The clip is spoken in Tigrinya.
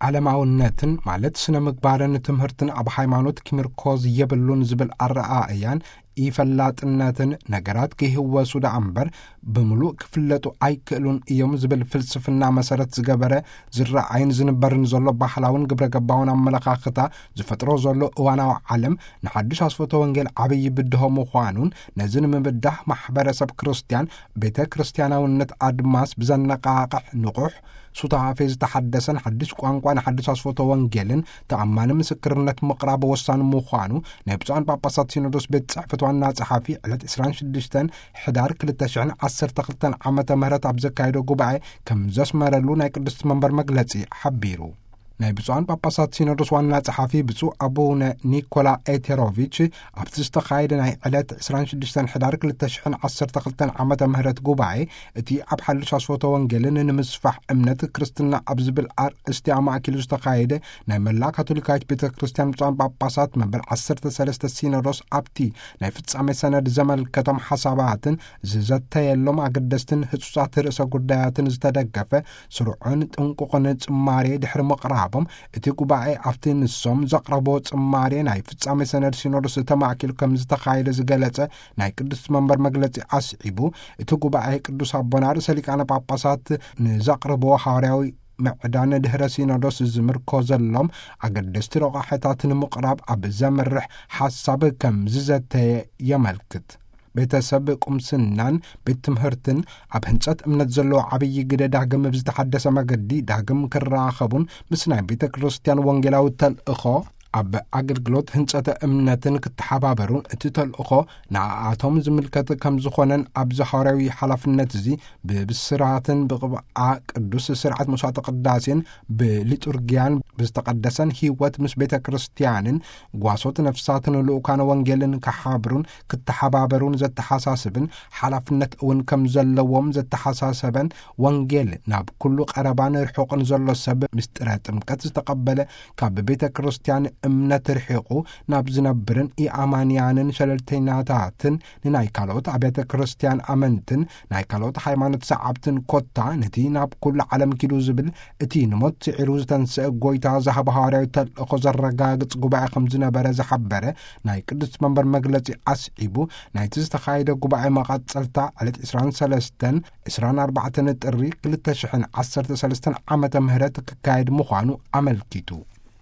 ዓለማውነትን ማለት ስነ ምግባርን ትምህርትን ኣብ ሃይማኖት ክምርኮዝ የብሉን ዝብል ኣረኣእያን ኢፈላጥነትን ነገራት ክህወሱ ደኣ እምበር ብምሉእ ክፍለጡ ኣይክእሉን እዮም ዝብል ፍልስፍና መሰረት ዝገበረ ዝረኣይን ዝንበርን ዘሎ ባህላውን ግብረ ገባውን ኣመለኻኽታ ዝፈጥሮ ዘሎ እዋናዊ ዓለም ንሓድሽ ኣስፈቶ ወንጌል ዓብዪ ብድሆ ምዃኑን ነዚ ንምብዳህ ማሕበረሰብ ክርስትያን ቤተ ክርስትያናውነት ኣድማስ ብዘነቃቕሕ ንቑሕ ሱታፌ ዝተሓደሰን ሓድሽ ቋንቋ ንሓድሽ ኣስፈቶ ወንጌልን ተኣማኒ ምስክርነት ምቕራብ ወሳኒ ምዃኑ ናይ ብፁዓን ጳጳሳት ሲኖዶስ ቤት ጽሕፈት ዋና ጸሓፊ ዕለት ዕስራን ሽዱሽተን ሕዳር ክልተ ሽሕን ዓሰርተ ክልተን ዓመተ ምህረት ኣብ ዘካየዶ ጉባኤ ከም ዘስመረሉ ናይ ቅድስቲ መንበር መግለጺ ሓቢሩ። ናይ ብፁዓን ጳጳሳት ሲኖዶስ ዋና ጸሓፊ ብፁዕ ኣቡነ ኒኮላ ኤቴሮቪች ኣብቲ ዝተኻየደ ናይ ዕለት ዕስራን ሽዱሽተን ሕዳር ክልተ ሽሕን ዓሰርተ ክልተን ዓመተ ምህረት ጉባኤ እቲ ኣብ ሓድሽ ኣስፈቶ ወንጌልን ንምስፋሕ እምነት ክርስትና ኣብ ዝብል ኣርእስቲ ኣማእኪሉ ዝተኻየደ ናይ መላ ካቶሊካዊት ቤተ ክርስቲያን ብፁዓን ጳጳሳት መበል ዓሰርተ ሰለስተ ሲኖዶስ ኣብቲ ናይ ፍጻሜ ሰነድ ዘመልከቶም ሓሳባትን ዝዘተየሎም ኣገደስትን ህጹጻት ርእሰ ጉዳያትን ዝተደገፈ ስሩዕን ጥንቁቕን ጽማሬ ድሕሪ ምቕራቦም እቲ ጉባኤ ኣብቲ ንሶም ዘቕረቦ ጽማሬ ናይ ፍጻሜ ሰነድ ሲኖዶስ ተማእኪሉ ከም ዝተኻየደ ዝገለጸ ናይ ቅድስቲ መንበር መግለጺ ኣስዒቡ እቲ ጉባኤ ቅዱስ ኣቦና ርእሰ ሊቃነ ጳጳሳት ንዘቕርቦ ሃዋርያዊ ምዕዳን ድሕረ ሲኖዶስ ዝምርኮዘሎም ኣገደስቲ ረቋሕታት ንምቕራብ ኣብ ዘምርሕ ሓሳብ ከም ዝዘተየ የመልክት። ቤተሰብ ቁምስናን ቤት ትምህርትን ኣብ ህንጸት እምነት ዘለዎ ዓብዪ ግደ ዳግም ብዝተሓደሰ መገዲ ዳግም ክራኸቡን ምስ ናይ ቤተ ክርስቲያን ወንጌላዊ ተልእኾ ኣብ ኣገልግሎት ህንጸተ እምነትን ክተሓባበሩን እቲ ተልእኾ ንኣኣቶም ዝምልከት ከም ዝኾነን ኣብዚ ሃዋርያዊ ሓላፍነት እዚ ብብስራትን ብቕብኣ ቅዱስ ስርዓት መስዋዕተ ቅዳሴን ብሊጡርጊያን ብዝተቐደሰን ህይወት ምስ ቤተ ክርስቲያንን ጓሶት ነፍሳትን ልኡካነ ወንጌልን ክሓብሩን ክተሓባበሩን ዘተሓሳስብን ሓላፍነት እውን ከም ዘለዎም ዘተሓሳሰበን ወንጌል ናብ ኩሉ ቀረባን ርሑቕን ዘሎ ሰብ ምስጢረ ጥምቀት ዝተቐበለ ካብ ቤተ ክርስቲያን እምነት ርሒቑ ናብ ዝነብርን ኢኣማንያንን ሸለልተኛታትን ንናይ ካልኦት ኣብያተ ክርስቲያን ኣመንትን ናይ ካልኦት ሃይማኖት ሰዓብትን ኮታ ነቲ ናብ ኩሉ ዓለም ኪዱ ዝብል እቲ ንሞት ስዒሩ ዝተንስአ ጎይታ ዝሃበ ሃዋርያዊ ተልእኾ ዘረጋግጽ ጉባኤ ከም ዝነበረ ዝሓበረ ናይ ቅድስት መንበር መግለጺ ኣስዒቡ ናይቲ ዝተኻየደ ጉባኤ መቐጸልታ ዕለት ዕስራን ሰለስተን ዕስራን ኣርባዕተን ጥሪ ክልተ ሽሕን ዓሰርተ ሰለስተን ዓመተ ምህረት ክካየድ ምዃኑ ኣመልኪቱ።